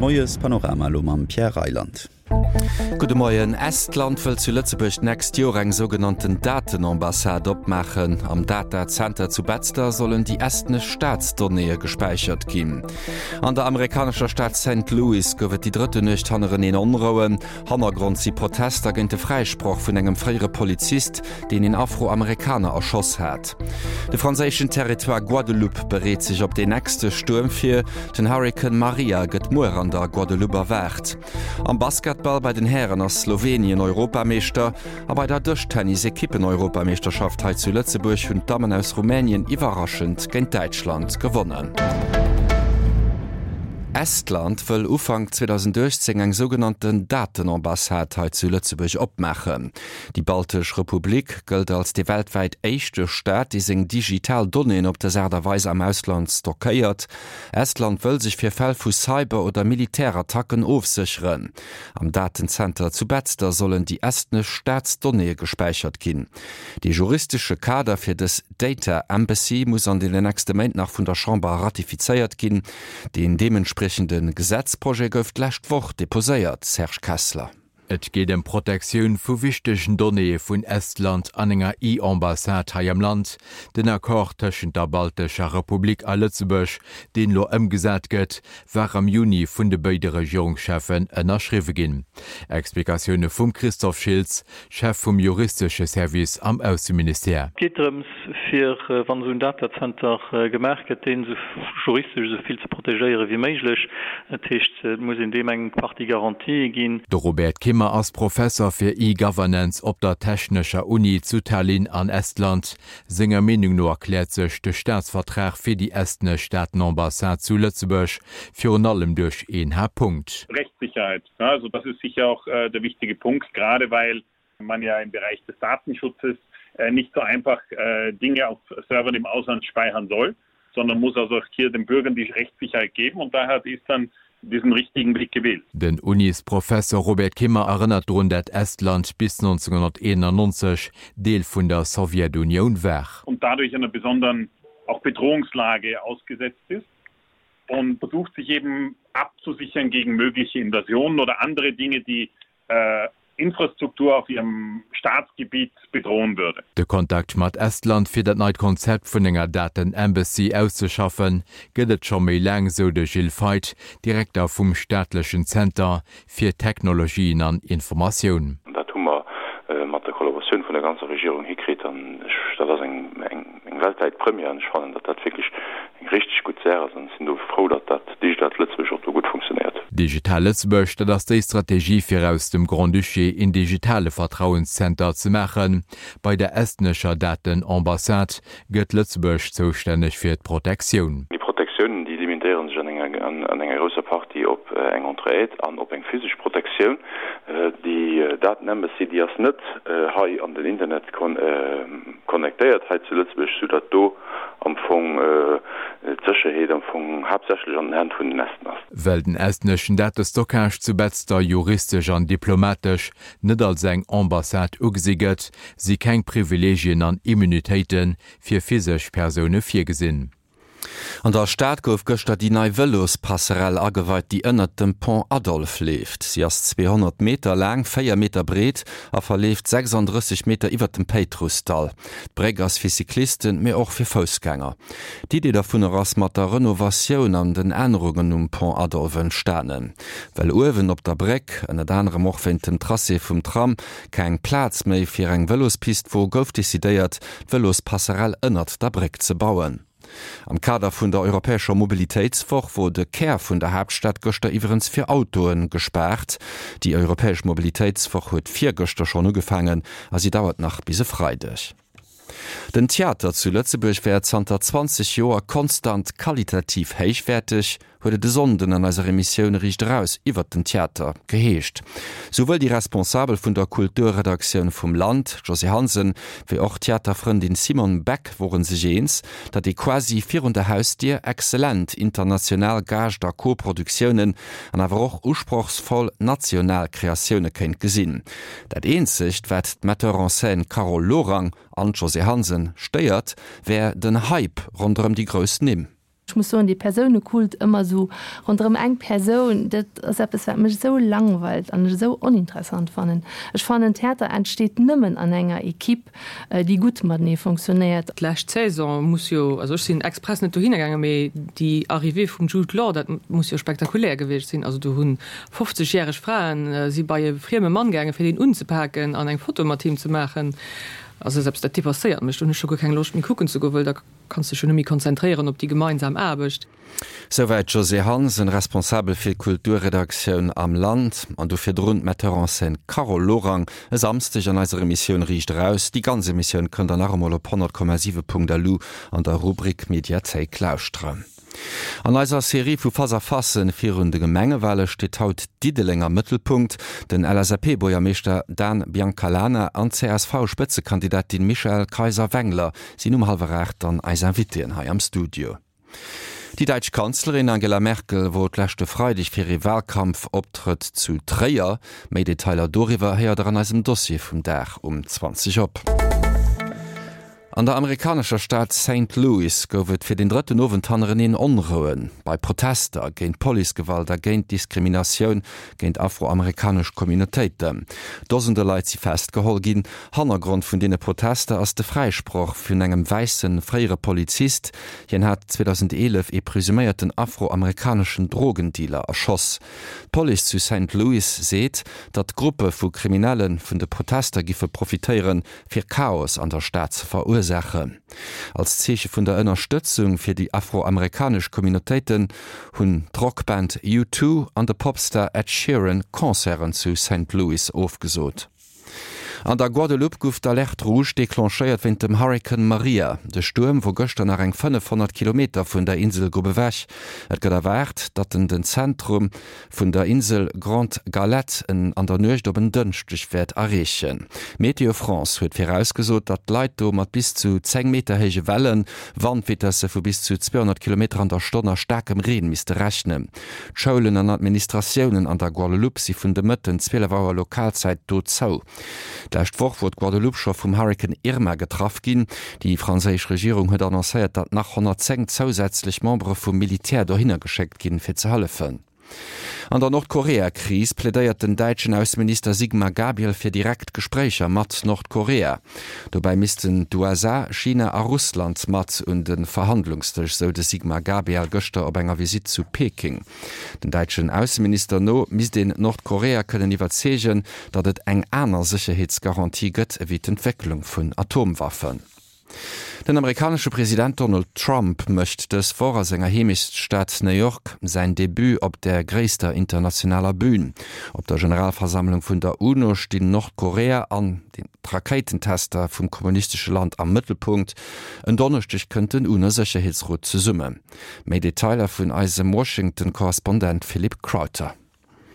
Moiespanorama elo mam Pierre Reyland. Gudde Moien. Estland wëll zu Lëtzebuerg d'nächst Joer eng sougenannten Datenambassade opmaachen. Am Datacenter zu Betzder sollen déi estnesch Staatsdonnéeë gespäichert ginn. An der amerikanescher Stad Saint Louis gouf et déi drëtte Nuecht hannereneen Onrouen. Hannergrond si Protester géint de Fräisproch vun engem fréiere Polizist, deen een Afroamerikaner erschoss hat. De franséischen Territoire Guadeloupe bereet sech op deen nächste Stuerm vir. Den Hurrikan Maria gëtt muer an der Guadeloupe erwaart. Am Basketball bei den Hären ass Slowenien Europameeschter a bei der Dëschtennis-Ekippen-Europameeschterschaft hei zu Lëtzebuerg hunn d'Dammen aus Rumänien iwwerraschend géint Däitschland gewonnen. Estland wëll Ufank 2018 eng sougenannten Datenambassade hei zu Lëtzebuerg opmaachen. Déi baltesch Republik gëllt als dee weltwäit éischte Staat, dee seng digital Donnéeën op dës Aart a Weis am Ausland stockéiert. Estland wëll sech fir Fäll vu Cyber oder Militärattacken ofsécheren. Am Datenzenter zu Betzder sollen déi estnesch Staatsdonnéeë gespäichert ginn. Dee juristesche Kader fir dës Data Embassy muss an den nächste Méint nach vun der Chamber ratifizéiert ginn. Deen deementspriechende Gesetzprojet gouf d'lescht Woch deposéiert. Serge Kessler. Et geet ëm d'Protektioun vu wichtegen Donnéeë vun Estland an enger E-Ambassade hei am Land. Den Accord tëschent der baltescher Republik a Lëtzebuerg, deen elo ëmgesat gëtt, war am Juni vun de béide Regierungscheffen ënnerschriwwe ginn. Explikatioune vum Christophe Schiltz, Chef vum juristesche Service am Ausseministère. Et geet drëms, fir, wann esou en Datacenter gemaach gëtt, deen esou juristesch esou vill ze protegéiere wéi méiglech. Dat heescht, et muss een deem eng Partie Garantië ginn. De Robert Kimmer ass Professer fir E-Governance op der Technescher Uni zu Tallinn an Estland. Senger Meenung no erkläert sech de Staatsvertrag fir déi estnesch Staatenambassade zu Lëtzebuerg virun allem duerch een Haaptpunkt. Rechtssicherheit, also das ist sicher auch der wichtige Punkt, gerade weil man ja im Bereich des Datenschutzes nicht so einfach Dinge auf Servern im Ausland speichern soll, sondern muss also auch hier den Bürgern die Rechtssicherheit geben und daher hat Estland diesen richtigen Weg gewählt. Den Unisprofesser Robert Kimmer erënnert drun, dat Estland bis 1991 Deel vun der Sowjetunioun war. Und dadurch einer besonderen auch Bedrohungslage ausgesetzt ist und versucht sich eben abzusichern gegen mögliche Invasionen oder andere Dinge, die äh, Infrastruktur auf ihrem Staatsgebiet bedrohen würde. De Kontakt mat Estland fir dat neit Konzept vun enger Daten-Embassy auszeschaffen, gëtt et scho méi laang, sou de Gilles Feith, Direkter vum staatlechen Zenter fir Technologien an Informatioun. Dat hu mer mat der Kollaboratioun vun der ganzer Regierung hikritt an ech, dat ass eng weltwäit Première an ech fannen, datt dat wierklech eng richteg gutt Saach ass an ech sinn do frou, datt dat Digitalt Lëtzebuerg och do gutt funktionéiert. Digital Lëtzebuerg, dat ass déi Strategie fir aus dem Grand-Duché een digitale Vertrauenszenter ze maachen. Bei der estnescher Datenambassade gëtt Lëtzebuerg zoustänneg fir d'Protektioun. Déi Protektiounen, déi limitéiere sech an enger grousser Partie op eng Entraide an op eng physesch Protektioun. Déi Datenembassy, déi ass net hei an den Internet connectéiert hei zu Lëtzebuerg, soudatt do am Fong d'Sécherheet am Fong haaptsächlech an den Hänn vun den Esten ass. Well den estneschen Datestockage zu Betzder juristesch an diplomatesch net als eng Ambassade ugesi gëtt, si keng Privileegien an Immunitéite fir physesch Persoune virgesinn. An der Stad gouf gëschter déi nei Vëlospasserell ageweit, déi ënnert dem Pont Adolphe leeft. Si ass 200 Meter laang, 4 Meter breet a verleeft 36 Meter iwwert dem Péitrussdall. D'Bréck ass fir Cyclisten, mee och fir Foussgänger. D'Idee dovunner ass mat der Renovatioun an den Ännerungen um Pont Adolphe entstanen. Well uewen op der Bréck, ënnert anerem och wéint dem Tracé vum Tram, keng Plaz méi fir eng Vëlospist wor, gouf decidéiert, d'Vëlospasserell ënnert der Bréck ze bauen. Am Kader vun der europäescher Mobilitéitswoch wor de Kär vun der Haaptstad gëschter iwwerens fir Autoe gespaart. Déi europäesch Mobilitéitswoch huet virgëschter schonn ugefaangen a si dauert nach bis e Freideg. Den Theater zu Lëtzebuerg wär zanter 20 Joer konstant qualitativ héichwäerteg, huet et e Sonnden an eiser Emissioun Riicht Eraus iwwert den Theater geheescht. Souwuel déi Responsabel vun der Kulturredaktioun vum Land, Josée Hansen, wéi och d'Theaterfrëndin Simone Beck wore sech eens, datt ee quasi virun der Hausdier exzellent international Gaascht a Co-Produktiounen an awer och usprochsvoll national Kreatioune kéint gesinn. Dat eenzegt, wat d'Metteur en scène Carole Lorang an d'Josée Hansen stéiert, wär den Hype ronderëm déi grouss Nimm. Ech muss soen, dee Persounekult ëmmer esou ronderëm eng Persoun, dat ass eppes, wat mech esou langweilt an ech esou oninteressant fannen. Ech fannen, Theater entsteet nëmmen an enger Equipe, déi gutt matenee fonctionnéiert. D'lescht Saison muss jo, also ech sinn express net dohinner gaangen, mee déi Arrivée vum Jude Law, dat muss jo spektakulär gewiescht sinn. Also do hunn 50 järeg Fraen si bei e frieme Mann gaangen, fir deen unzepaken an eng Foto mat him ze maachen. Also dat ass eppes, dat depasséiert mech. Do hunn ech scho guer keng Loscht méi kucken ze goen, well da Kanns dech jo net méi konzentréieren op déi gemeinsam Aarbecht. Souwäit d'Josée Hansen, Responsabel fir d'Kulturredaktioun am Land, an do virdrun d'Metteur en scène Carole Lorang. E Samsdeg an eiser Emissioun Riicht Eraus. Déi ganz Emissioun kënnt der nach emol op 100,7.lu an der Rubrik Mediathéik lauschteren. An eiser Serie vu Face-à-facen virun de Gemengewale steet haut Diddeleng am Mëttelpunkt. Den LSAP-Buergermeeschter Dan Biancalana an d'CSV-Spëtzekandidatin Michèle Kayser-Wengler sinn um hallwer 8 dann eis Invitéen hei am Studio. Déi däitsch Kanzlerin Angela Merkel wor d'leschte Freideg fir ee Wahlkampfoptrëtt zu Tréier. Méi Detailer doriwwer héiert der an eisem Dossier vum Dag um 20 op. An der amerikanescher Stad Saint Louis gouf et fir den drëtten Owend hannereneen Onrouen bei Protester géint Policegewalt a géint Diskriminatioun géint afroamerikanesch Communautéiten. Dosende Leit si festgeholl ginn. Hannergrond vun deene Protester ass de Fräisproch vun engem wäisse fréiere Polizist. Hien hat 2011 ee presuméierten afroamerikaneschen Drogendealer erschoss. D'Police zu Saint Louis seet, datt Gruppe vu Kriminelle vun de Protester giffe profitéieren, fir Chaos an der Stad ze verursaachen. Als Zeeche vun der Ënnerstëtzung fir déi afroamerikanesch Communautéiten hunn d'Rockband U2 an de Popstar Ed Sheeran Concerten zu Saint Louis ofgesot. An der Guadeloupe gouf d'Alerte rouge declenchéiert wéint dem Hurrikan Maria. De Stuerm wor gëschter nach eng 500 Kilometer vun der Inselgrupp ewech. Et gëtt erwaart, datt en den Zentrum vun der Insel Grande Galette en an der Nuecht op en Dënschdeg wäert erreechen. Météo France huet virausgesot, datt d'Leit do mat bis zu 10 Meter héije Wellen, Wandvitesse vu bis zu 200 Kilometer an der Stonn a staarkem Reen misste rechnen. D'Schoulen an Administratiounen an der Guadeloupe si vun de Mëtten 12 Auer Lokalzäit do zou. D'lescht Woch wor d'Guadeloupe scho vum Hurrikan Irma getraff ginn. Déi franséisch Regierung huet annoncéiert, datt nach 110 zousätzlech Membere vum Militär dohinner geschéckt ginn, fir ze hëllefen. An der Nordkorea-Kris plädéiert den däitschen Ausseminister Sigmar Gabriel fir direkt Gespréicher mat Nordkorea. Dobäi missten d'USA, China a Russland mat un de Verhandlungsdësch, sou de Sigmar Gabriel gëschter op enger Visitt zu Peking. Den däitschen Ausseminister no misst een Nordkorea kënnen iwwerzeegen, datt et eng aner Sécherheetsgarantie gëtt ewéi d'Entwécklung vun Atomwaffen. Den amerikanesche President Donald Trump mécht dës Woch a senger Heemechtsstad New York säin Debut op där gréisster internationaler Bün. Op der Generalversammlung vun der UNO stinn Nordkorea an d'Rakéitentester vum kommunistesche Land am Mëttelpunkt. En Donneschdeg kënnt den UNO-Sécherheetsrot zesummen. Méi Detailer vun eisem Washington-Korrespondent Philippe Crowther.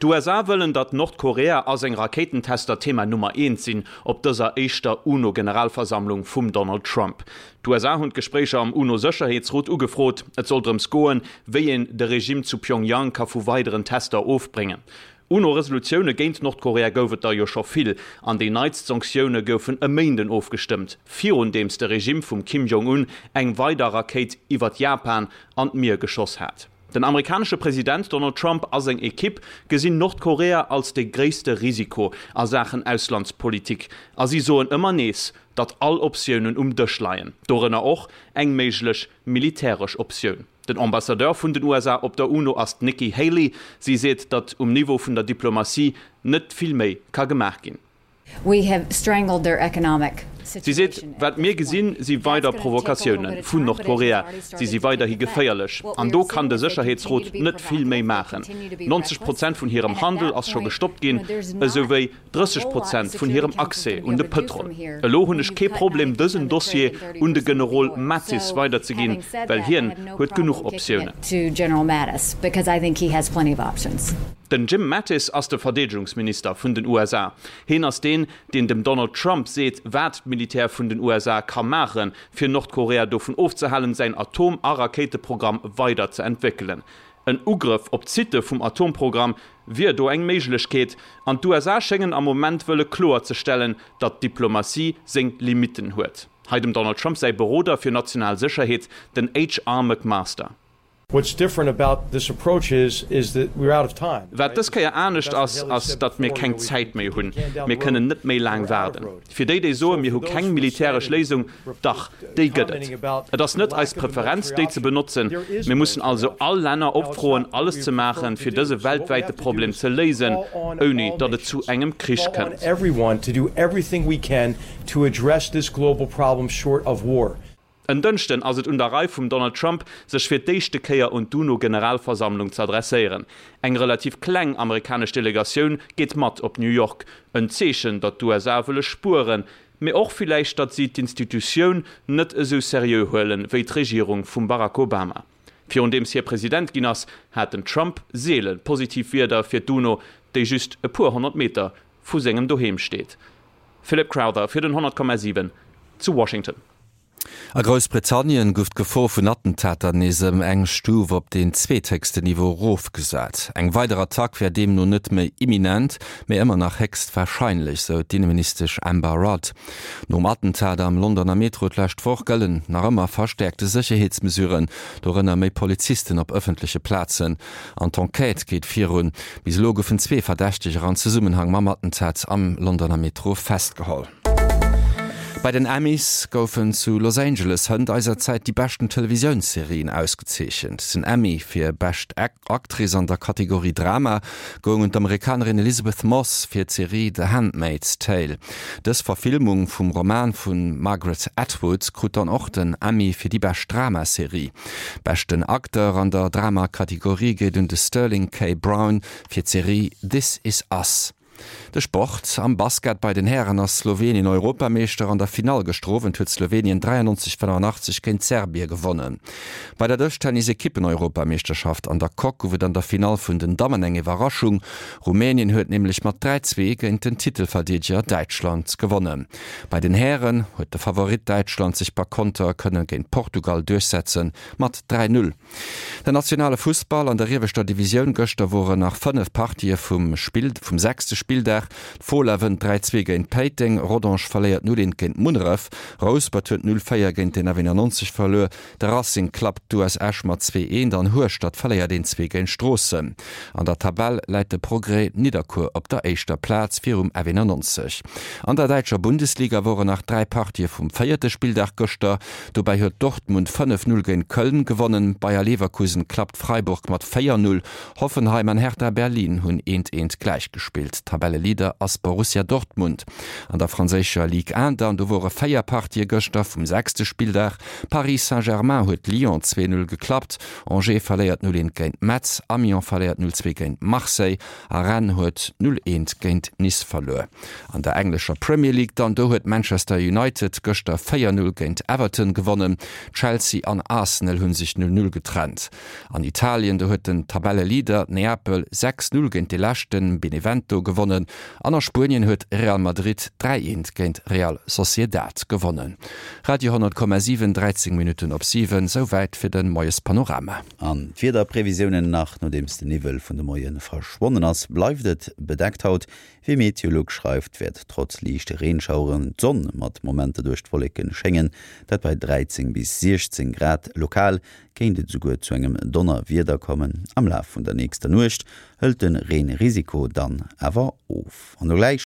D'USA wëllen, datt Nordkorea a seng Rakéitentester Thema Nummer eent sinn op dëser éischter UNO-Generalversammlung vum Donald Trump. D'USA hunn d'Gespréicher am UNO-Sécherheetsrot ugefrot. Et soll drëms goen, wéi een de Regime zu Pyongyang ka vu weideren Tester ofbréngen. UNO-Resolutioune géint Nordkorea gouf et der jo scho vill, an déi neitst Sanktioune goufen e Méinden ofgestëmmt, virundeems de Regime vum Kim Jong-un eng weider Rakéit iwwert Japan an d'Mier geschoss hat. Den amerikanesche President Donald Trump a seng Ekipp gesinn Nordkorea als de gréisste Risiko a Saachen Auslandspolitik a si soen ëmmer nees, datt all Optiounen um Dësch leien, dorënner och eng méiglech militäresch Optioun. Den Ambassadeur vun den USA op der UNO ass d'Nikki Haley. Si seet, datt um Niveau vun der Diplomatie net vill méi ka gemaach ginn. Si seet, Wat mir gesinn, si weider Provokatioune vun Nordkorea. Si si weiderhi geféierlech. An do kann de Sécherheetsrot net vill méi maachen. 90 Prozent vun hirem Handel ass scho gestoppt ginn, esou wéi 30 Prozent vun hirem Accès un de Pëtrol. Elo hunn ech kee Problem dësen Dossier un de Generol Mattis weiderzeginn, well hien huet genuch Optiounen. Den Jim Mattis ass de Verdeedegungsminister vun den USA. Heen ass deen, deen dem Donald Trump seet, wat d'Militär vun den USA ka maachen, fir Nordkorea dovun ofzehalen, säin Atom a Rakéiteprogramm weider ze entwéckelen. En Ugrëff op d'Sitte vum Atomprogramm wier do eng Méiglechkeet, an d'USA schéngen am Moment wëlle kloerzestellen, datt d'Diplomatie seng Limitten huet. Hei dem Donald Trump säi Beroder fir national Sécherheet, den HR. McMaster. What's different about this approach is, is that we're out of time. Wat dës Kéier anescht ass, ass, datt mir keng Zäit méi hunn. Mir kënnen net méi laang waarden. Fir déi, déi soen, mir hu keng militäresch Léisung, dach, déi gëtt et. Et ass net eis Preferenz, déi ze benotzen. Mir mussen also all Länner opfroen, alles ze maachen, fir dëse weltwäite Problem ze léisen, ouni datt et zu engem Krich kënnt. En Dënschden ass et un der Rei vum Donald Trump, sech fir d'éischte Kéier un d'UNO-Generalversammlung ze adresséieren. Eng relativ kleng amerikanesch Delegatioun geet mat op New York. En Zeechen, datt d'USA wëlle spueren, mee och villäicht, datt si d'Institutioun net esou seriö huelen, wéi d'Regierung vum Barack Obama. Virundeems hie President ginn ass, hat den Trump seele positiv Wierder fir d'UNO, déi just e puer 100 Meter vu sengem Doheem steet. Philip Crowther fir den 100,7 zu Washington. A Groussbritannien gouf d'Gefor vun Attentater nees ëm eng Stuf op deen zweethéchsten Niveau erofgesat. Eng weider Attack wär deemno net méi imminent, mee ëmmer nach héchst warscheinlech, sou d'Inneministesch Amber Rudd. Nom Attentat am Londoner Metro d'lescht Woch gëllen nach ëmmer verstäerkte Sécherheetsmesuren, dorënner méi Polizisten op ëffentleche Plazen. An d'Enquête geet virun. Bis elo goufen zwee Verdächteger an Zesummenhang mam Attentat am Londoner Metro festgeholl. Bei den Emmys goufen zu Los Angeles hënt eiser Zäit déi beschten Televisiounsserien ausgezeechent. Den Emmy fir bescht Actrice an der Kategorie Drama goung un d'Amerikanerin Elisabeth Moss fir d'Serie The Handmaid's Tale. Dës Verfilmung vum Roman vu Margaret Atwood krut dann och den Emmy fir déi bescht Dramaserie. Beschten Acteur an der Drama-Kategorie geet un de Sterling K. Brown fir d'Serie This Is Us. De Sport, Am Basket bei den Hären ass Slowenien Europameeschter. An der Finall gëschter Owend huet Slowenien 93, 85 géint Serbie gewonnen. Bei der Dëschtennis-Ekippen-Europameeschterschaft an der Coque gouf et an der Finall vun den Dammen eng Iwwerraschung. Rumänien huet nämlech mat 3, 2 géint den Titelverdeedeger Däitschland gewonnen. Bei den Hären huet de Favorit Däitschland sech per Konter kënne géint Portugal duerchsetze mat 3, 0. Den nationale Fussball an der ieweschter Divisioun, Gëschter woren nach 5 Partië vum Spill vum sechste Spilldag. D'Fola wënnt 3, 2 géint Péiteng, Rodange verléiert 0, 1 géint Munneref, Rouspert huet 0, 4 géint den F91 verluer, de Racing klappt d'US Esch mat 2, 1 an Hueschtert verléiert 1, 2 géint Stroossen. An der Tabell läit de Progrès Nidderkuer op der éischter Plaz virum F91. An der däitscher Bundesliga woren nach 3 Partië vum véierte Spilldag gëschter. Dobäi huet Dortmund 5, 0 géint Köln gewonnen, Bayer Leverkusen klappt Freiburg mat 4, 0, Hoffenheim an Hertha Berlin hunn eent eent gläichgespillt. Tabelleleader ass Borussia Dortmund. An der franséischer Ligue 1 dann, do wore 4 Partië gëschter vum sechste Spilldag. Paris Saint-Germain huet Lyon 2, 0 geklappt, Angers verléiert 0, 1 géint Metz, Amiens verléiert 0, 2 géint Marseille a Rennes huet 0, 1 géint Nice verluer. An der englescher Premier League dann, do huet Manchester United gëschter 4, 0 géint Everton gewonnen. Chelsea an Arsenal hu sech 0, 0 getrennt. An Italien, do huet den Tabelleleader Neapel 6, 0 géint de Leschten Benevento gewonnen an a Spuenien huet Real Madrid 3, 1 géint Real Sociedad gewonnen. Radio 10,7, 13 Minutten op 7, souwäit fir de Moiespanorama. An d'Wiederprevisiounen nach, Nodeems de Niwwel vun de Moie verschwonnen ass, bleift et bedeckt haut. Wéi Meteolux schreift, wäert trotz liichte Reenschaueren d'Sonn mat Momenter duerch d'Wolleke schéngen, dat bei 13 bis 16 Grad. Lokal kéint et esouguer zu engem Donnerwieder kommen. Am Laf vun der nächster Nuecht hëlt de Reenrisiko dann awer of. An elo gläich.